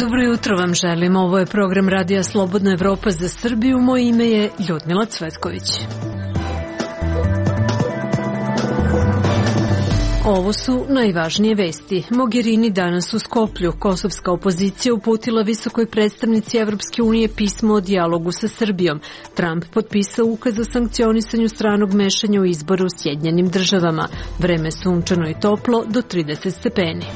Dobro jutro vam želim. Ovo je program Radija Slobodna Evropa za Srbiju. Moje ime je Ljudmila Cvetković. Ovo su najvažnije vesti. Mogherini danas u Skoplju. Kosovska opozicija uputila visokoj predstavnici Evropske unije pismo o dijalogu sa Srbijom. Trump potpisao ukaz o sankcionisanju stranog mešanja u izboru u Sjedinjenim Državama. Vreme sunčano i toplo do 30 stepeni.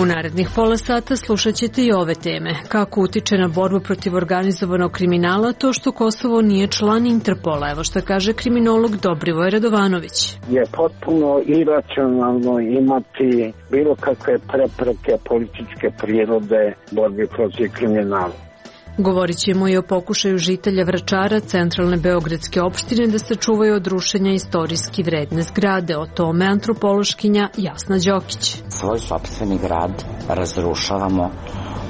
U narednih pola sata slušat ćete i ove teme. Kako utiče na borbu protiv organizovanog kriminala to što Kosovo nije član Interpola? Evo što kaže kriminolog Dobrivoj Radovanović. Je potpuno iracionalno imati bilo kakve prepreke političke prirode borbi protiv kriminala. Govorit ćemo i o pokušaju žitelja Vračara, centralne beogradske opštine, da sačuvaju od rušenja istorijski vredne zgrade. O tome antropološkinja Jasna Đokić. Svoj sopstveni grad razrušavamo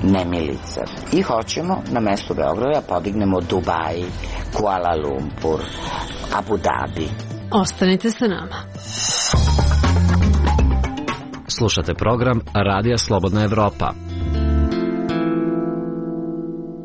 nemilice i hoćemo na mestu Beograda podignemo Dubai, Kuala Lumpur, Abu Dhabi. Ostanite sa nama. Slušate program Radija Slobodna Evropa.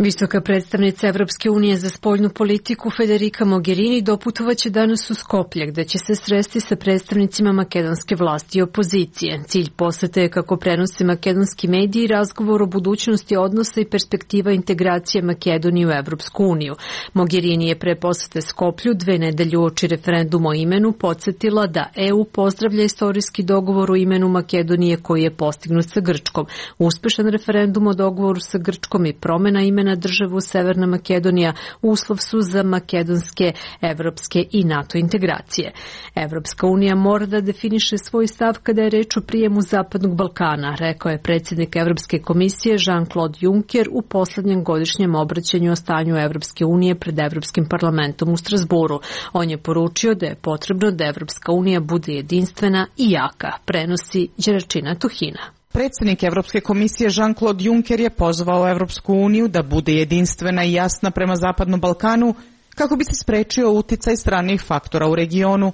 Visoka predstavnica Evropske unije za spoljnu politiku Federica Mogherini doputovaće danas u Skoplje, gde će se sresti sa predstavnicima makedonske vlasti i opozicije. Cilj posete je, kako prenose makedonski mediji, razgovor o budućnosti odnosa i perspektiva integracije Makedonije u Evropsku uniju. Mogherini je pre posete Skoplju 2 nedelje uoči referenduma o imenu podsjetila da EU pozdravlja istorijski dogovor o imenu Makedonije koji je postignut sa Grčkom. Uspešan referendum o dogovoru sa Grčkom i promena imena državu Severna Makedonija uslov su za makedonske, evropske i NATO integracije. Evropska unija mora da definiše svoj stav kada je reč o prijemu Zapadnog Balkana, rekao je predsjednik Evropske komisije Jean-Claude Juncker u poslednjem godišnjem obraćanju o stanju Evropske unije pred Evropskim parlamentom u Strasburu. On je poručio da je potrebno da Evropska unija bude jedinstvena i jaka, prenosi Đeračina Tuhina. Predsjednik Evropske komisije Jean-Claude Juncker je pozvao Evropsku uniju da bude jedinstvena i jasna prema Zapadnom Balkanu kako bi se sprečio uticaj stranih faktora u regionu.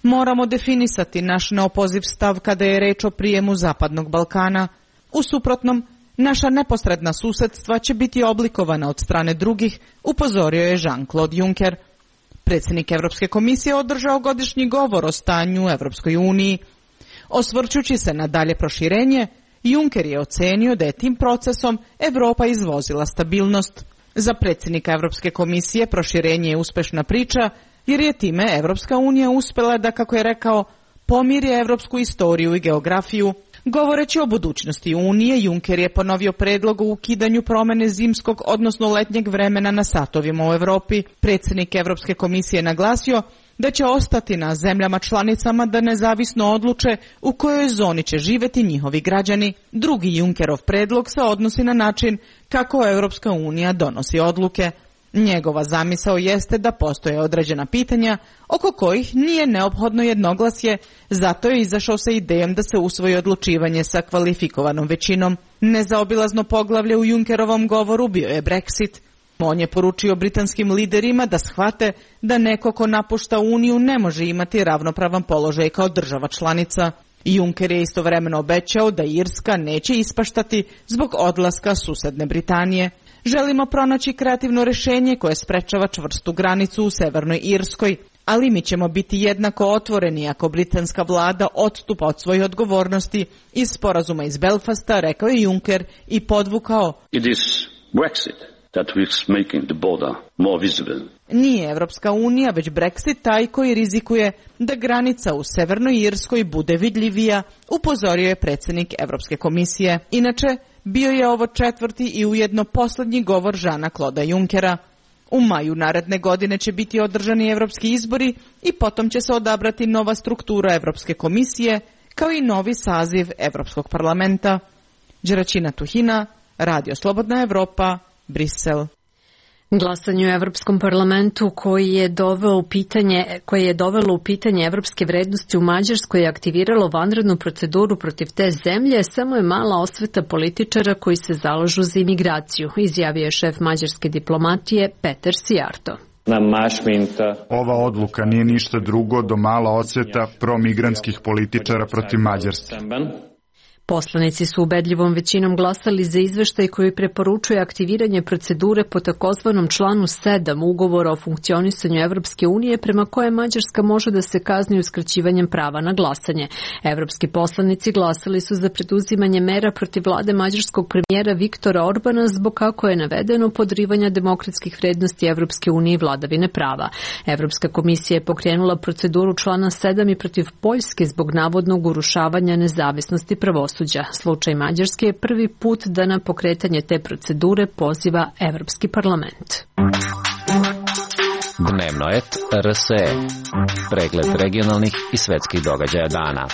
Moramo definisati naš neopoziv stav kada je reč o prijemu Zapadnog Balkana. U suprotnom, naša neposredna susedstva će biti oblikovana od strane drugih, upozorio je Jean-Claude Juncker. Predsjednik Evropske komisije održao godišnji govor o stanju u Evropskoj uniji. Osvrćući se na dalje proširenje, Juncker je ocenio da je tim procesom Evropa izvozila stabilnost. Za predsjednika Evropske komisije proširenje je uspešna priča, jer je time Evropska unija uspela da, kako je rekao, pomiri evropsku istoriju i geografiju. Govoreći o budućnosti Unije, Juncker je ponovio predlog o ukidanju promene zimskog, odnosno letnjeg vremena na satovima u Evropi. Predsjednik Evropske komisije naglasio da će ostati na zemljama članicama da nezavisno odluče u kojoj zoni će živjeti njihovi građani. Drugi Junckerov predlog se odnosi na način kako Evropska unija donosi odluke. Njegova zamisao jeste da postoje određena pitanja oko kojih nije neophodno jednoglasje, zato je izašao sa idejom da se usvoji odlučivanje sa kvalifikovanom većinom. Nezaobilazno poglavlje u Junckerovom govoru bio je Brexit. On je poručio britanskim liderima da shvate da neko ko napušta Uniju ne može imati ravnopravan položaj kao država članica. Juncker je istovremeno obećao da Irska neće ispaštati zbog odlaska susedne Britanije. Želimo pronaći kreativno rješenje koje sprečava čvrstu granicu u Severnoj Irskoj, ali mi ćemo biti jednako otvoreni ako britanska vlada odstupa od svojih odgovornosti iz sporazuma iz Belfasta, rekao je Juncker i podvukao. It is Brexit that is making the border more visible. Nije Evropska unija, već Brexit taj koji rizikuje da granica u Severnoj Irskoj bude vidljivija, upozorio je predsjednik Evropske komisije. Inače, bio je ovo 4. i ujedno posljednji govor Jeana-Claude Junckera. U maju naredne godine će biti održani evropski izbori i potom će se odabrati nova struktura Evropske komisije, kao i novi saziv Evropskog parlamenta. Đeračina Tuhina, Radio Slobodna Evropa, Brisel. Glasanje u Evropskom parlamentu koje je dovelo u pitanje evropske vrednosti u Mađarskoj i aktiviralo vanrednu proceduru protiv te zemlje, samo je mala osveta političara koji se zalažu za imigraciju, izjavio je šef mađarske diplomatije Peter Sijarto. Ova odluka nije ništa drugo do mala odsveta promigrantskih političara protiv Mađarske. Poslanici su ubedljivom većinom glasali za izveštaj koji preporučuje aktiviranje procedure po takozvanom članu 7 ugovora o funkcionisanju Evropske unije prema koje Mađarska može da se kazni uskraćivanjem prava na glasanje. Evropski poslanici glasali su za preduzimanje mera protiv vlade mađarskog premijera Viktora Orbana zbog, kako je navedeno, podrivanja demokratskih vrednosti Evropske unije i vladavine prava. Evropska komisija je pokrenula proceduru člana 7 i protiv Poljske zbog navodnog urušavanja nezavisnosti pravosuđa. Slučaj Mađarske je prvi put da na pokretanje te procedure poziva Evropski parlament. Dnevno et RSE. Pregled regionalnih i svetskih događaja dana.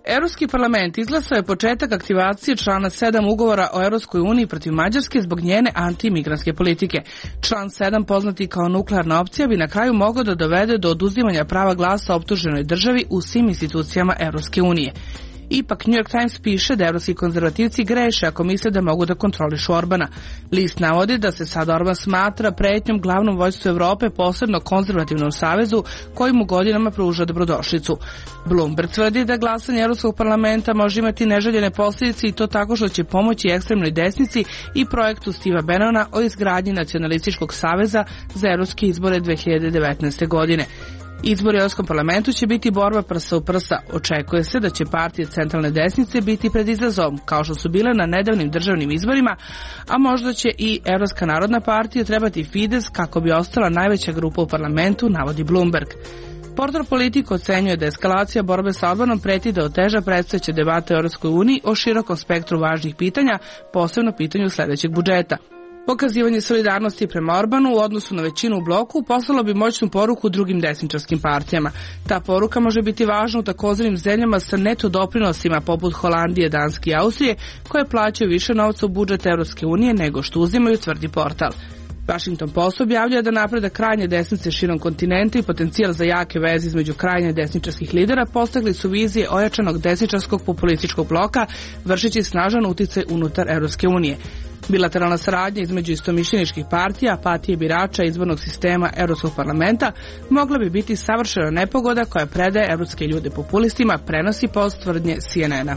Evropski parlament izglasao je početak aktivacije člana 7 ugovora o Evropskoj uniji protiv Mađarske zbog njene antimigrantske politike. Član 7, poznati kao nuklearna opcija, bi na kraju mogao da dovede do oduzimanja prava glasa optuženoj državi u svim institucijama Evropske unije. Ipak, New York Times piše da evropski konzervativci greše ako misle da mogu da kontrolišu Orbana. List navodi da se sad Orban smatra pretnjom glavnom vođstvu Evrope, posebno konzervativnom savezu, koji mu godinama pruža dobrodošlicu. Bloomberg tvrdi da glasanje Evropskog parlamenta može imati neželjene posljedice i to tako što će pomoći ekstremnoj desnici i projektu Steva Bannona o izgradnji nacionalističkog saveza za evropske izbore 2019. godine. Izbori u Evropskom parlamentu će biti borba prsa u prsa. Očekuje se da će partije centralne desnice biti pred izazovom, kao što su bile na nedavnim državnim izborima, a možda će i Evropska narodna partija trebati Fides kako bi ostala najveća grupa u parlamentu, navodi Bloomberg. Portal Politico ocenjuje da eskalacija borbe sa Orbanom preti da oteža predstojeće debate u Evropskoj uniji o širokom spektru važnih pitanja, posebno pitanju sledećeg budžeta. Pokazivanje solidarnosti prema Orbanu u odnosu na većinu u bloku poslalo bi moćnu poruku drugim desničarskim partijama. Ta poruka može biti važna u takozvanim zemljama sa neto doprinosima poput Holandije, Danske i Austrije, koje plaćaju više novca u budžet Evropske unije nego što uzimaju, tvrdi portal. Washington Post objavljuje da napredak krajnje desnice širom kontinenta i potencijal za jake veze između krajnje desničarskih lidera postigli su vizije ojačanog desničarskog populističkog bloka, vršeći snažan uticaj unutar Evropske unije. Bilateralna saradnja između istomišljeničkih partija, apatije birača izbornog sistema Evropskog parlamenta mogla bi biti savršena nepogoda koja predaje evropske ljude populistima, prenosi Post tvrdnje CNN-a.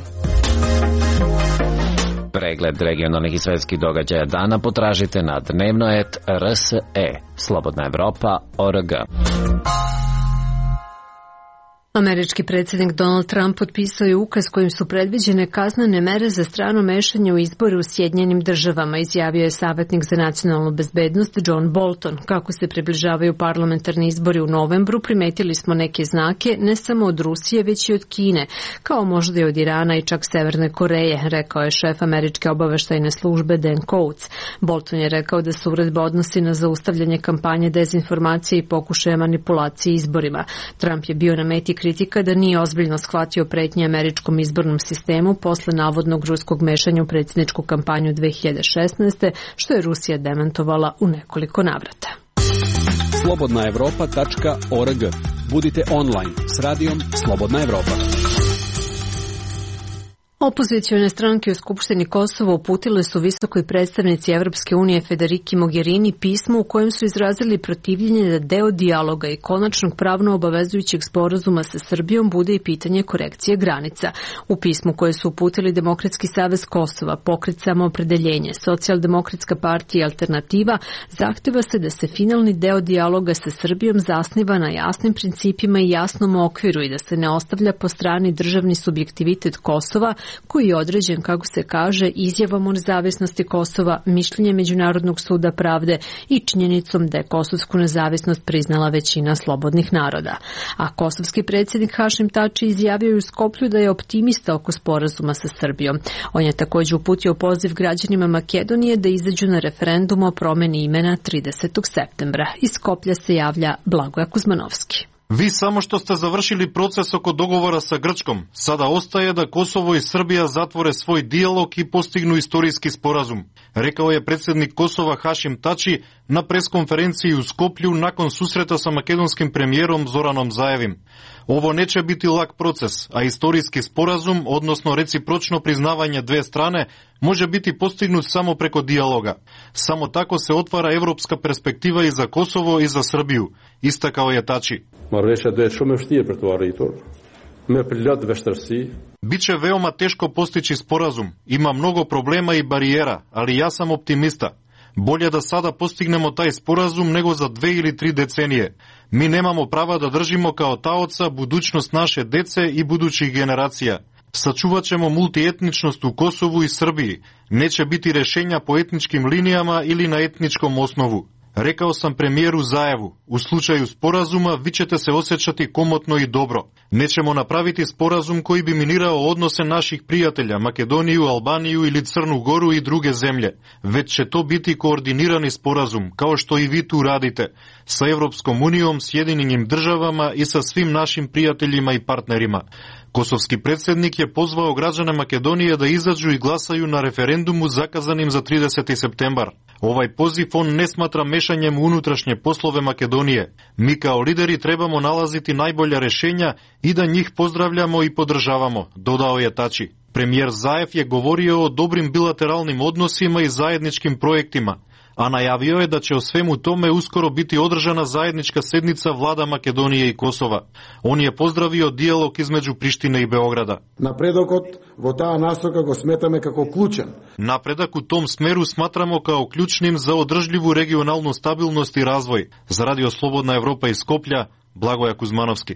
Pregled regionalnih i svetskih događaja dana potražite na dnevno.rs.e. Slobodna Evropa.org. Američki predsjednik Donald Trump potpisao je ukaz kojim su predviđene kaznene mere za strano mešanje u izbore u Sjedinjenim državama, izjavio je savjetnik za nacionalnu bezbednost John Bolton. Kako se približavaju parlamentarni izbori u novembru, primetili smo neke znake ne samo od Rusije, već i od Kine, kao možda i od Irana i čak Severne Koreje, rekao je šef američke obaveštajne službe Dan Coats. Bolton je rekao da se uredba odnosi na zaustavljanje kampanje dezinformacije i pokušaja manipulacije izborima. Trump je bio na meti kritika da nije ozbiljno shvatio pretnje američkom izbornom sistemu posle navodnog ruskog mešanja u predsjedničku kampanju 2016. što je Rusija demantovala u nekoliko navrata. Slobodnaevropa.org. Budite online s radijom Slobodna Evropa. Opozicione stranke u Skupštini Kosova uputile su visokoj predstavnici Evropske unije Federiki Mogherini pismo u kojem su izrazili protivljenje da deo dijaloga i konačnog pravno obavezujućeg sporazuma sa Srbijom bude i pitanje korekcije granica. U pismu koje su uputili Demokratski savez Kosova, Pokret samoopredeljenje, Socijaldemokratska partija i Alternativa, zahteva se da se finalni deo dijaloga sa Srbijom zasniva na jasnim principima i jasnom okviru i da se ne ostavlja po strani državni subjektivitet Kosova, koji je određen, kako se kaže, izjavom o nezavisnosti Kosova, mišljenje Međunarodnog suda pravde i činjenicom da je kosovsku nezavisnost priznala većina slobodnih naroda. A kosovski predsjednik Hašim Tači izjavio u Skoplju da je optimista oko sporazuma sa Srbijom. On je također uputio poziv građanima Makedonije da izađu na referendum o promeni imena 30. septembra. Iz Skoplja se javlja Blagoja Kuzmanovski. Vi samo što ste završili proces oko dogovora sa Grčkom. Sada ostaje da Kosovo i Srbija zatvore svoj dijalog i postignu istorijski sporazum, rekao je predsjednik Kosova Hašim Tači na preskonferenciji u Skoplju nakon susreta sa makedonskim premijerom Zoranom Zaevim. Ovo neće biti lak proces, a istorijski sporazum, odnosno recipročno priznavanje dve strane, može biti postignut samo preko dijaloga. Samo tako se otvara evropska perspektiva i za Kosovo i za Srbiju, istakao je Tači. Biće veoma teško postići sporazum, ima mnogo problema i barijera, ali ja sam optimista. Bolje da sada postignemo taj sporazum nego za 2 ili 3 decenije. Mi nemamo prava da držimo kao taoca budućnost naše dece i budućih generacija. Sačuvat ćemo multietničnost u Kosovu i Srbiji. Neće biti rešenja po etničkim linijama ili na etničkom osnovu. Rekao sam premijeru Zajevu, u slučaju sporazuma vi ćete se osjećati komotno i dobro. Nećemo napraviti sporazum koji bi minirao odnose naših prijatelja, Makedoniju, Albaniju ili Crnu Goru i druge zemlje, već će to biti koordinirani sporazum, kao što i vi tu radite, sa Evropskom unijom, Sjedinjenim državama i sa svim našim prijateljima i partnerima. Kosovski predsjednik je pozvao građane Makedonije da izađu i glasaju na referendumu zakazanim za 30. septembar. Ovaj poziv on ne smatra mešanjem u unutrašnje poslove Makedonije. Mi kao lideri trebamo nalaziti najbolja rešenja i da njih pozdravljamo i podržavamo, dodao je Tači. Premijer Zajev je govorio o dobrim bilateralnim odnosima i zajedničkim projektima, a najavio je da će o svemu tome uskoro biti održana zajednička sednica vlada Makedonije i Kosova. On je pozdravio dijalog između Prištine i Beograda. Napredak u tom smeru smatramo kao ključnim za održljivu regionalnu stabilnost i razvoj. Za Radio Slobodna Evropa iz Skoplja, Blagoja Kuzmanovski.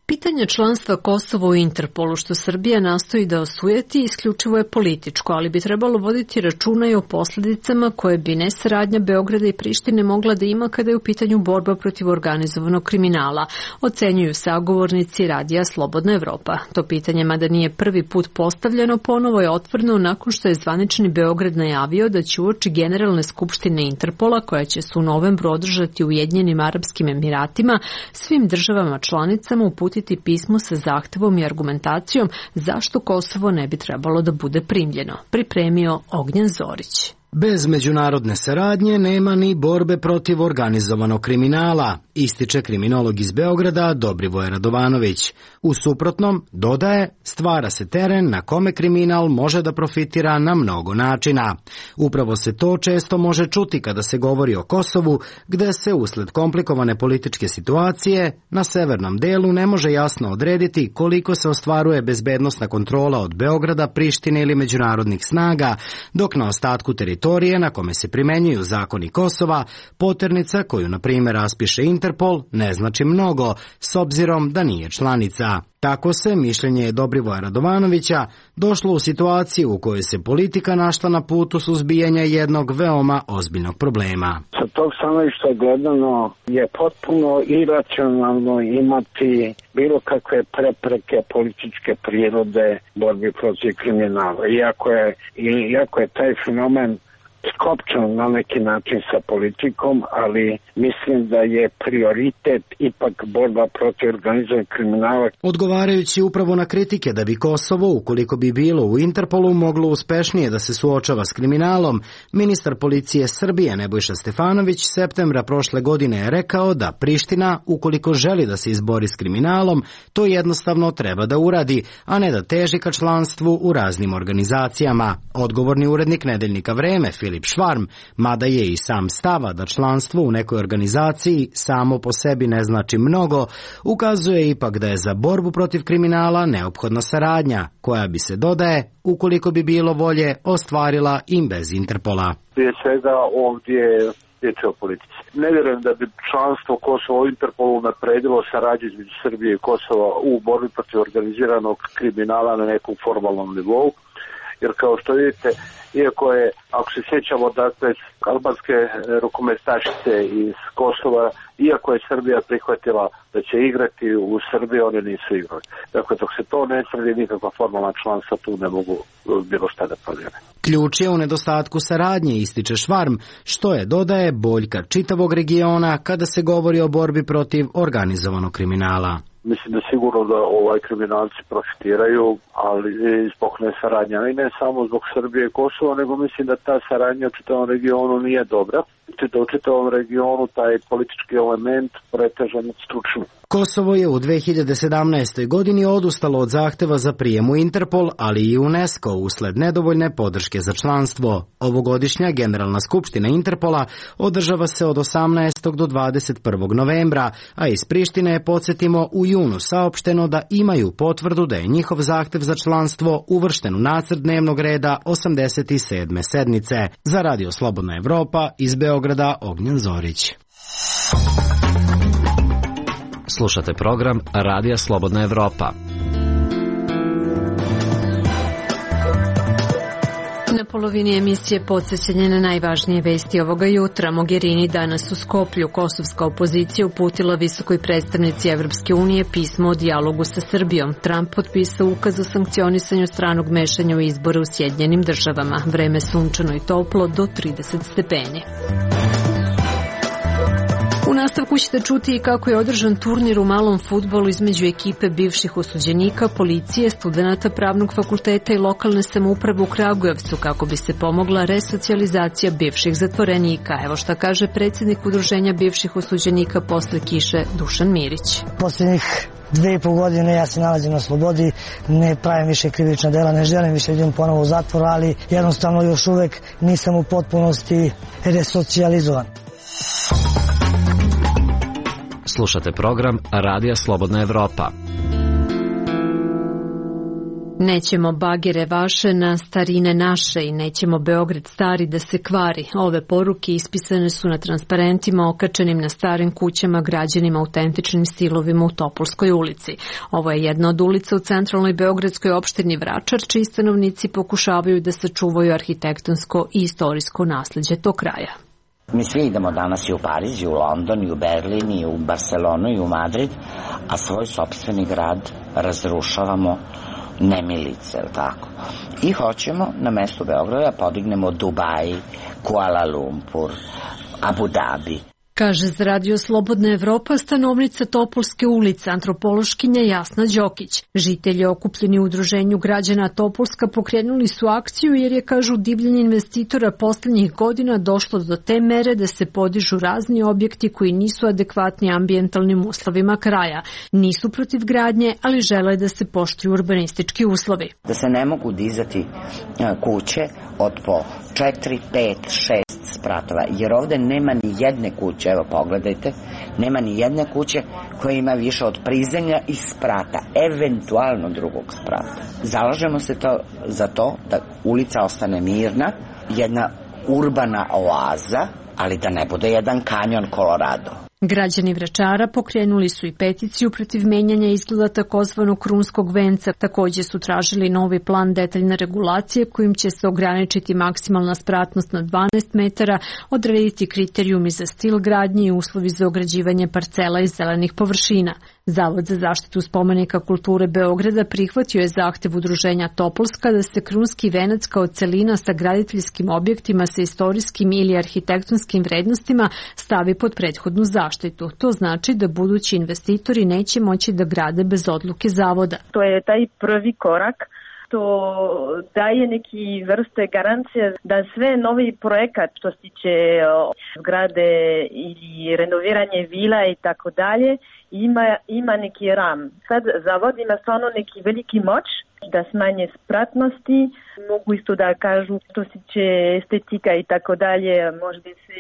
Pitanje članstva Kosova u Interpolu, što Srbija nastoji da osujeti, isključivo je političko, ali bi trebalo voditi računa i o posledicama koje bi nesaradnja Beograda i Prištine mogla da ima kada je u pitanju borba protiv organizovanog kriminala, ocenjuju sagovornici Radija Slobodna Evropa. To pitanje, mada nije prvi put postavljeno, ponovo je otvoreno nakon što je zvanični Beograd najavio da će uoči Generalne skupštine Interpola, koja će se u novembru održati u Ujedinjenim Arapskim Emiratima, svim državama članicama uputiti pismo sa zahtevom i argumentacijom zašto Kosovo ne bi trebalo da bude primljeno, pripremio Ognjen Zorić. Bez međunarodne saradnje nema ni borbe protiv organizovanog kriminala, ističe kriminolog iz Beograda Dobrivoje Radovanović. U suprotnom, dodaje, stvara se teren na kome kriminal može da profitira na mnogo načina. Upravo se to često može čuti kada se govori o Kosovu, gde se usled komplikovane političke situacije na severnom delu ne može jasno odrediti koliko se ostvaruje bezbednosna kontrola od Beograda, Prištine ili međunarodnih snaga, dok na ostatku teritorije na kome se primenjuju zakoni Kosova, poternica koju, na primjer, raspiše Interpol, ne znači mnogo, s obzirom da nije članica. Tako se, mišljenje Dobrivoja Radovanovića, došlo u situaciju u kojoj se politika našla na putu suzbijanja jednog veoma ozbiljnog problema. Sa tog stanovišta gledano je potpuno iracionalno imati bilo kakve prepreke političke prirode borbi protiv kriminala. Iako je taj fenomen skopčan na neki način sa politikom, ali mislim da je prioritet ipak borba protiv organizovanog kriminala. Odgovarajući upravo na kritike da bi Kosovo, ukoliko bi bilo u Interpolu, moglo uspešnije da se suočava s kriminalom, ministar policije Srbije Nebojša Stefanović septembra prošle godine je rekao da Priština, ukoliko želi da se izbori s kriminalom, to jednostavno treba da uradi, a ne da teži ka članstvu u raznim organizacijama. Odgovorni urednik nedeljnika Vreme, Filip Švarm, mada je i sam stava da članstvo u nekoj organizaciji samo po sebi ne znači mnogo, ukazuje ipak da je za borbu protiv kriminala neophodna saradnja, koja bi se, dodaje, ukoliko bi bilo volje, ostvarila i bez Interpola. Prije svega ovdje riječ o politici. Ne vjerujem da bi članstvo Kosova u Interpolu napredilo saradnju između Srbije i Kosova u borbi protiv organiziranog kriminala na nekom formalnom nivou. Jer kao što vidite, iako je, ako se sjećamo, dakle, albanske rukometašice iz Kosova, iako je Srbija prihvatila da će igrati u Srbiji, oni nisu igrali. Dakle, dok se to ne sredi, nikakva formalna članstva tu ne mogu bilo šta da promijene. Ključ je u nedostatku saradnje, ističe Švarm, što je, dodaje, boljka čitavog regiona kada se govori o borbi protiv organizovanog kriminala. Mislim da sigurno da kriminalci profitiraju, ali zbog nesaradnja. I ne samo zbog Srbije i Kosova, nego mislim da ta saradnja u čitavom regionu nije dobra. Da u čitavom regionu taj politički element preteže nad stručnim. Kosovo je u 2017. godini odustalo od zahteva za prijem u Interpol, ali i UNESCO usled nedovoljne podrške za članstvo. Ovogodišnja Generalna skupština Interpola održava se od 18. do 21. novembra, a iz Prištine je, podsjetimo, u junu saopšteno da imaju potvrdu da je njihov zahtev za članstvo uvršten u nacrt dnevnog reda 87. sednice. Za Radio Slobodna Evropa iz Beograda, Ognjen Zorić. Slušate program Radija Slobodna Evropa. Na polovini emisije podsjećanje na najvažnije vesti ovoga jutra. Mogherini danas u Skoplju. Kosovska opozicija uputila visokoj predstavnici Evropske unije pismo o dijalogu sa Srbijom. Trump potpisao ukaz o sankcionisanju stranog mešanja u izbore u Sjedinjenim državama. Vreme sunčano i toplo do 30 stepeni. U nastavku ćete čuti i kako je održan turnir u malom fudbalu između ekipe bivših osuđenika, policije, studenata pravnog fakulteta i lokalne samouprave u Kragujevcu kako bi se pomogla resocijalizacija bivših zatvorenika. Evo šta kaže predsjednik Udruženja bivših osuđenika posle kiše Dušan Mirić. Posljednjih 2,5 godine ja se nalazim na slobodi, ne pravim više krivična dela, ne želim više idem ponovo u zatvor, ali jednostavno još uvek nisam u potpunosti resocijalizovan. Slušate program Radija Slobodna Evropa. Nećemo bagere vaše na starine naše i nećemo Beograd stari da se kvari. Ove poruke ispisane su na transparentima okačenim na starim kućama građenima autentičnim stilovima u Topolskoj ulici. Ovo je jedna od ulica u centralnoj beogradskoj opštini Vračar, čiji stanovnici pokušavaju da sačuvaju arhitektonsko i istorijsko nasleđe tog kraja. Mi svi idemo danas i u Pariz, i u London, i u Berlin, i u Barcelonu, i u Madrid, a svoj sopstveni grad razrušavamo nemilice, ili tako? I hoćemo na mestu Beograda podignemo Dubai, Kuala Lumpur, Abu Dhabi. Kaže za Radio Slobodna Evropa stanovnica Topolske ulice, antropološkinja Jasna Đokić. Žitelji okupljeni u udruženju građana Topolska pokrenuli su akciju jer je, kažu, divljenje investitora poslednjih godina došlo do te mere da se podižu razni objekti koji nisu adekvatni ambijentalnim uslovima kraja. Nisu protiv gradnje, ali žele da se poštuju urbanistički uslovi. Da se ne mogu dizati kuće od po 4, 5, 6 spratova, jer ovde nema ni jedne kuće, evo pogledajte, nema ni jedne kuće koja ima više od prizemlja i sprata, eventualno drugog sprata. Zalažemo se za to da ulica ostane mirna, jedna urbana oaza, ali da ne bude jedan kanjon Colorado. Građani Vračara pokrenuli su i peticiju protiv menjanja izgleda takozvanog krunskog venca. Takođe su tražili novi plan detaljne regulacije kojim će se ograničiti maksimalna spratnost na 12 metara, odrediti kriterijumi za stil gradnje i uslovi za ograđivanje parcela i zelenih površina. Zavod za zaštitu spomenika kulture Beograda prihvatio je zahtev udruženja Topolska da se krunski venac kao celina sa graditeljskim objektima sa istorijskim ili arhitektonskim vrednostima stavi pod prethodnu zaštitu. To znači da budući investitori neće moći da grade bez odluke zavoda. To je taj prvi korak. To daje neki vrste garancije da sve novi projekat što se tiče zgrade ili renoviranje vila i tako dalje ima neki ram. Sad zavod ima stvarno neki veliki moć da smanje spratnosti, mogu isto da kažu što se tiče estetika i tako dalje, možda se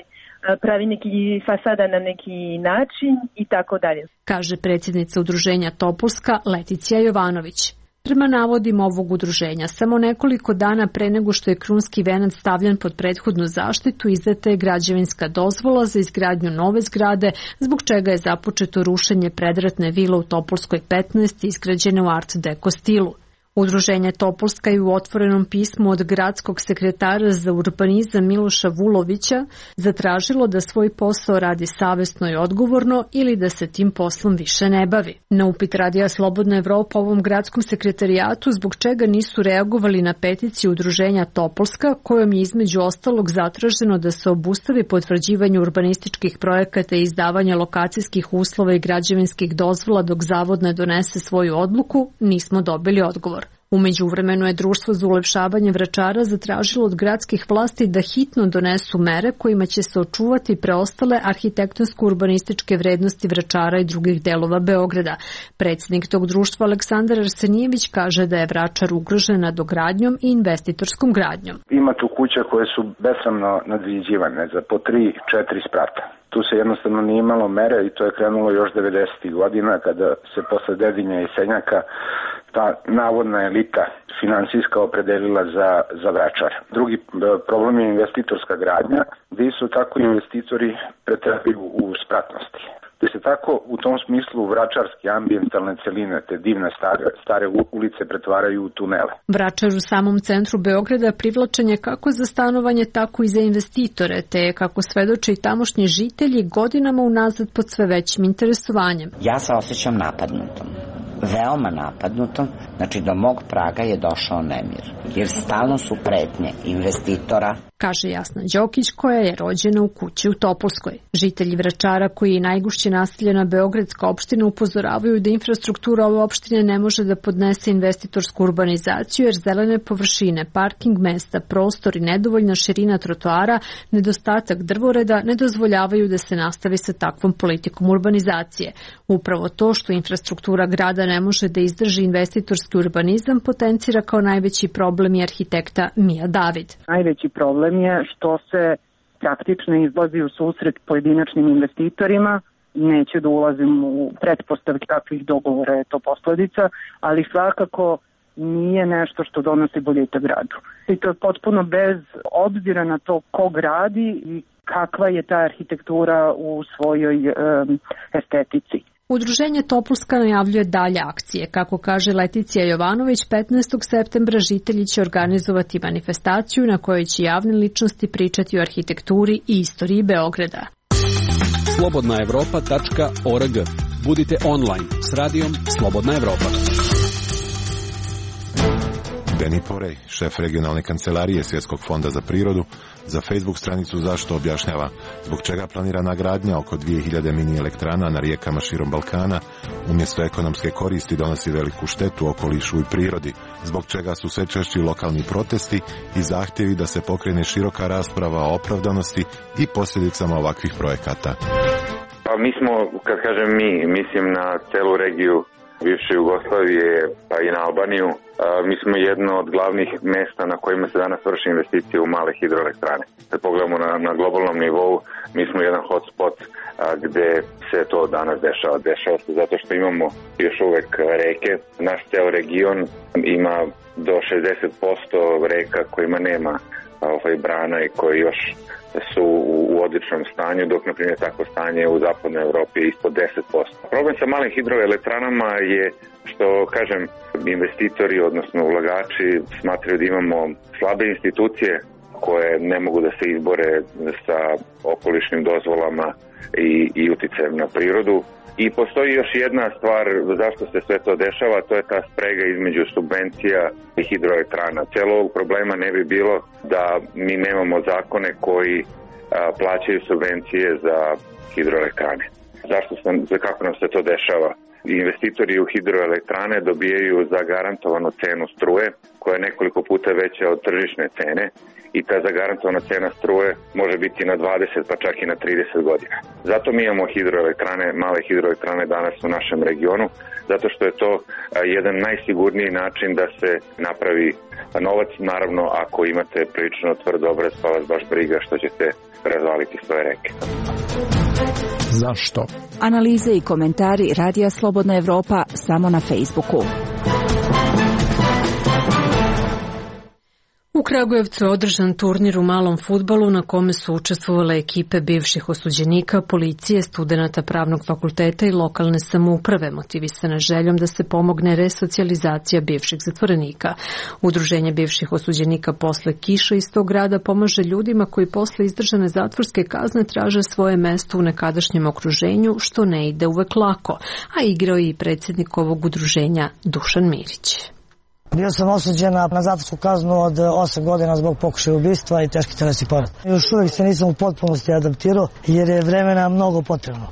pravi neki fasada na neki način i tako dalje. Kaže predsjednica udruženja Topolska Leticija Jovanović. Prema navodima ovog udruženja, samo nekoliko dana pre nego što je krunski venac stavljen pod prethodnu zaštitu, izdata je građevinska dozvola za izgradnju nove zgrade, zbog čega je započeto rušenje predratne vile u Topolskoj 15 izgrađene u Art Deco stilu. Udruženje Topolska je u otvorenom pismu od gradskog sekretara za urbanizam Miloša Vulovića zatražilo da svoj posao radi savesno i odgovorno ili da se tim poslom više ne bavi. Na upit Radija Slobodna Evropa ovom gradskom sekretarijatu zbog čega nisu reagovali na peticiju udruženja Topolska, kojom je između ostalog zatraženo da se obustavi potvrđivanje urbanističkih projekata i izdavanja lokacijskih uslova i građevinskih dozvola dok zavod ne donese svoju odluku, nismo dobili odgovor. U međuvremenu je Društvo za ulepšavanje Vračara zatražilo od gradskih vlasti da hitno donesu mere kojima će se očuvati preostale arhitektonsko-urbanističke vrednosti Vračara i drugih delova Beograda. Predsjednik tog društva Aleksandar Arsenijević kaže da je Vračar ugrožen nadogradnjom i investitorskom gradnjom. Ima tu kuća koje su besramno nadviđivane za po 3-4 sprata. Tu se jednostavno nije imalo mere i to je krenulo još 90. godina kada se posle Dedinja i Senjaka ta navodna elita finansijska opredelila za Vračar. Drugi problem je investitorska gradnja, gdje su tako investitori pretrpili u spratnosti. Gde se tako u tom smislu vračarske ambijentalne celine, te divne stare ulice pretvaraju u tunele. Vračar u samom centru Beograda privlačen je kako za stanovanje, tako i za investitore, te kako svedoče i tamošnji žitelji godinama unazad pod sve većim interesovanjem. Ja se osjećam napadnutom. Veoma napadnutom, znači do mog praga je došao nemir, jer stalno su pretnje investitora. Kaže Jasna Đokić, koja je rođena u kući u Topolskoj. Žitelji Vračara, koji je najgušće naseljena beogradska opština, upozoravaju da infrastruktura ove opštine ne može da podnese investitorsku urbanizaciju, jer zelene površine, parking mesta, prostor i nedovoljna širina trotoara, nedostatak drvoreda ne dozvoljavaju da se nastavi sa takvom politikom urbanizacije. Upravo to što infrastruktura grada ne može da izdrži investitorski urbanizam potencira kao najveći problem i arhitekta Mija David. Najveći problem je što se praktično izlazi u susret pojedinačnim investitorima. Neću da ulazim u pretpostavke kakvih dogovora je to posledica, ali svakako nije nešto što donosi boljitak gradu. I to je potpuno bez obzira na to ko gradi i kakva je ta arhitektura u svojoj estetici. Udruženje Topolska najavljuje dalje akcije. Kako kaže Leticija Jovanović, 15. septembra žitelji će organizovati manifestaciju na kojoj će javne ličnosti pričati o arhitekturi i istoriji Beograda. slobodnaevropa.org. Budite online s radijom Slobodna Evropa. Deni Porej, šef regionalne kancelarije Svjetskog fonda za prirodu, za Facebook stranicu Zašto objašnjava zbog čega planirana gradnja oko 2000 mini elektrana na rijekama širom Balkana umjesto ekonomske koristi donosi veliku štetu okolišu i prirodi, zbog čega su sve češći lokalni protesti i zahtjevi da se pokrene široka rasprava o opravdanosti i posljedicama ovakvih projekata. Pa mi smo, kad kažem mislim na celu regiju bivše Jugoslavije pa i na Albaniju. Mi smo jedno od glavnih mesta na kojima se danas vrši investicije u male hidroelektrane. Kad pogledamo na globalnom nivou, mi smo jedan hotspot gde se to danas dešava. Dešava se zato što imamo još uvek reke. Naš ceo region ima do 60% reka kojima nema brana i koji još su u odličnom stanju, dok na primjer takvo stanje u zapadnoj Evropi je ispod 10%. Problem sa malim hidroelektranama je što, kažem, investitori, odnosno ulagači smatraju da imamo slabe institucije koje ne mogu da se izbore sa okolišnim dozvolama i uticajem na prirodu. I postoji još jedna stvar zašto se sve to dešava, to je ta sprega između subvencija i hidroelektrana. Cijelo ovog problema ne bi bilo da mi nemamo zakone koji plaćaju subvencije za hidroelektrane. Kako nam se to dešava? Investitori u hidroelektrane dobijaju zagarantovanu cenu struje koja je nekoliko puta veća od tržišne cene i ta zagarantovana cena struje može biti na 20 pa čak i na 30 godina. Zato mi imamo hidroelektrane, male hidroelektrane danas u našem regionu, zato što je to jedan najsigurniji način da se napravi novac, naravno ako imate prilično tvrd obraz pa vas baš briga što ćete razvaliti svoje reke. Zašto? Analize i komentari Radija Slobodna Evropa samo na Facebooku. U Kragujevcu je održan turnir u malom fudbalu na kome su učestvovale ekipe bivših osuđenika, policije, studenata pravnog fakulteta i lokalne samouprave, motivisane željom da se pomogne resocijalizacija bivših zatvorenika. Udruženje bivših osuđenika posle kiša iz tog grada pomaže ljudima koji posle izdržane zatvorske kazne traže svoje mesto u nekadašnjem okruženju, što ne ide uvek lako, a igrao je i predsjednik ovog udruženja Dušan Mirić. Bio sam osuđen na zatvorsku kaznu od 8 godina zbog pokušaja ubistva i teški telesni povred. Još uvijek se nisam u potpunosti adaptirao jer je vremena mnogo potrebno.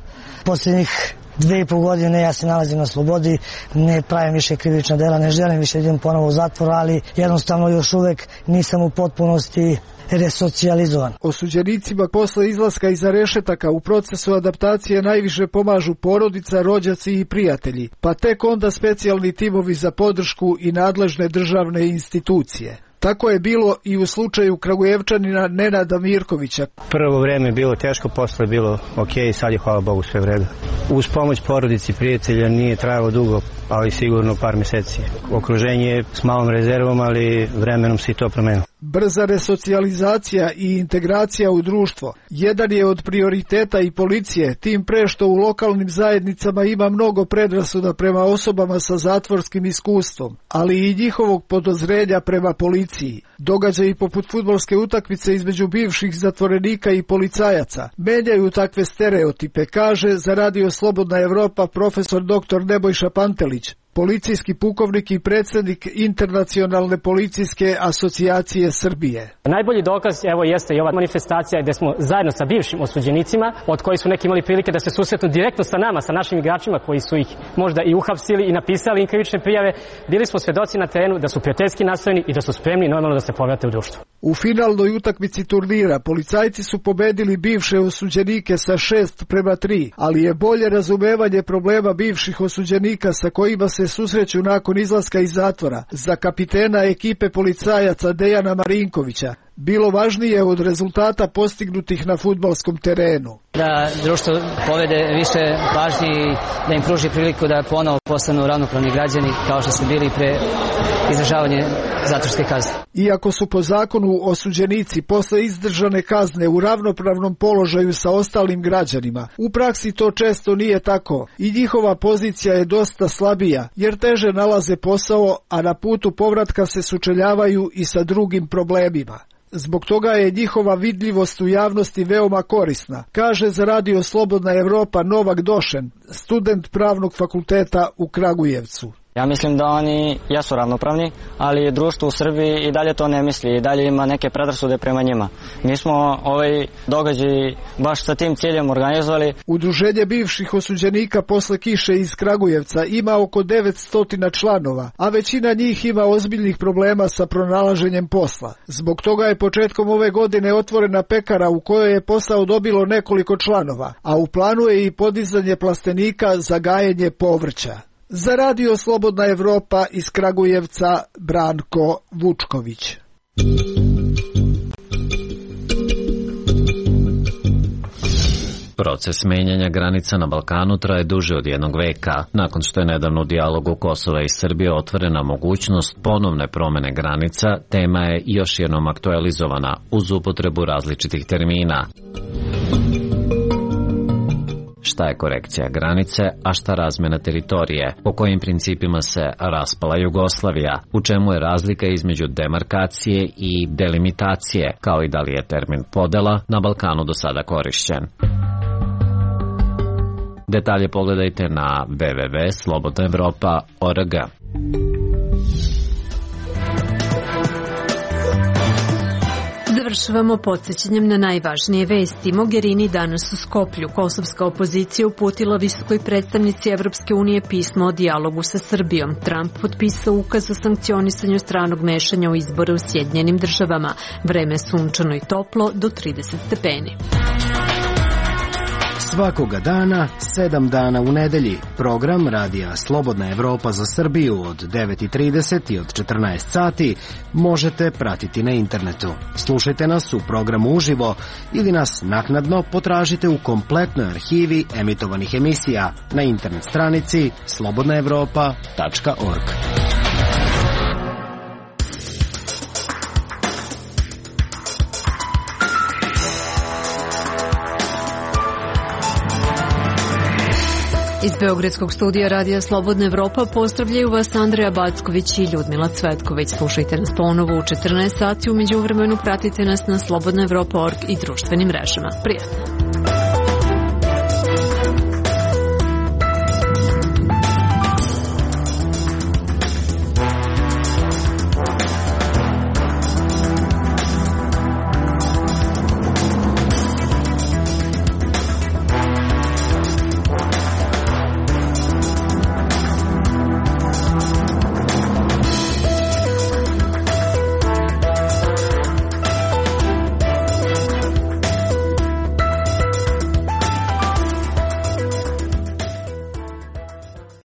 Posljednjih 2,5 godine ja se nalazim na slobodi, ne pravim više krivična dela, ne želim više idem ponovo u zatvor, ali jednostavno još uvek nisam u potpunosti resocijalizovan. Osuđenicima posle izlaska iza rešetaka u procesu adaptacije najviše pomažu porodica, rođaci i prijatelji, pa tek onda specijalni timovi za podršku i nadležne državne institucije. Tako je bilo i u slučaju Kragujevčanina Nenada Mirkovića. Prvo vreme je bilo teško, posle je bilo ok, sad je hvala Bogu sve vredo. Uz pomoć porodici, prijatelja nije trajalo dugo, ali sigurno par meseci. Okruženje je s malom rezervom, ali vremenom se i to promenilo. Brza resocijalizacija i integracija u društvo jedan je od prioriteta i policije, tim pre što u lokalnim zajednicama ima mnogo predrasuda prema osobama sa zatvorskim iskustvom, ali i njihovog podozrenja prema policiji. Događaji poput fudbalske utakmice između bivših zatvorenika i policajaca menjaju takve stereotipe, kaže za Radio Slobodna Evropa profesor dr. Nebojša Pantelić, policijski pukovnik i predsjednik Internacionalne policijske asocijacije Srbije. Najbolji dokaz evo jeste i ova manifestacija gdje smo zajedno sa bivšim osuđenicima, od kojih su neki imali prilike da se susretnu direktno sa nama, sa našim igračima koji su ih možda i uhapsili i napisali im krivične prijave. Bili smo svedoci na terenu da su prijateljski nastrojeni i da su spremni normalno da se povrate u društvo. U finalnoj utakmici turnira policajci su pobedili bivše osuđenike sa 6-3, ali je bolje razumevanje problema bivših osuđenika sa kojima se susreću nakon izlaska iz zatvora za kapitena ekipe policajaca Dejana Marinkovića bilo važnije od rezultata postignutih na fudbalskom terenu. Da društvo povede više pažnje i da im pruži priliku da ponovo postanu ravnopravni građani kao što su bili pre izdržavanja zatvorske kazne. Iako su po zakonu osuđenici posle izdržane kazne u ravnopravnom položaju sa ostalim građanima, u praksi to često nije tako i njihova pozicija je dosta slabija jer teže nalaze posao, a na putu povratka se sučeljavaju i sa drugim problemima. Zbog toga je njihova vidljivost u javnosti veoma korisna, kaže za Radio Slobodna Evropa Novak Došen, student pravnog fakulteta u Kragujevcu. Ja mislim da oni jesu ravnopravni, ali društvo u Srbiji i dalje to ne misli i dalje ima neke predrasude prema njima. Mi smo ovaj događaj baš sa tim ciljem organizovali. Udruženje bivših osuđenika posle kiše iz Kragujevca ima oko 900 članova, a većina njih ima ozbiljnih problema sa pronalaženjem posla. Zbog toga je početkom ove godine otvorena pekara u kojoj je posao dobilo nekoliko članova, a u planu je i podizanje plastenika za gajenje povrća. Za Radio Slobodna Evropa iz Kragujevca Branko Vučković. Proces menjanja granica na Balkanu traje duže od jednog veka. Nakon što je nedavno u dijalogu Kosova i Srbije otvorena mogućnost ponovne promene granica, tema je još jednom aktualizovana uz upotrebu različitih termina. Šta je korekcija granice, a šta razmena teritorije, po kojim principima se raspala Jugoslavija, u čemu je razlika između demarkacije i delimitacije, kao i da li je termin podela na Balkanu do sada korišćen. Detalje pogledajte na www.slobodnaevropa.org. Završavamo podsjećanjem na najvažnije vesti. Mogherini danas u Skoplju. Kosovska opozicija uputila visokoj predstavnici Evropske unije pismo o dijalogu sa Srbijom. Trump potpisao ukaz o sankcionisanju stranog mešanja u izbore u Sjedinjenim Državama. Vreme je sunčano i toplo do 30 stepeni. Svakoga dana, 7 dana u nedelji. Program Radija Slobodna Evropa za Srbiju od 9:30 i od 14 sati možete pratiti na internetu. Slušajte nas u programu uživo ili nas naknadno potražite u kompletnoj arhivi emitovanih emisija na internet stranici slobodnaevropa.org. Iz Beogradskog studija Radija Slobodna Evropa pozdravljaju vas Andreja Backović i Ljudmila Cvetković. Slušajte nas ponovo u 14 sati, u međuvremenu pratite nas na slobodnaevropa.org i društvenim mrežama. Prijatno!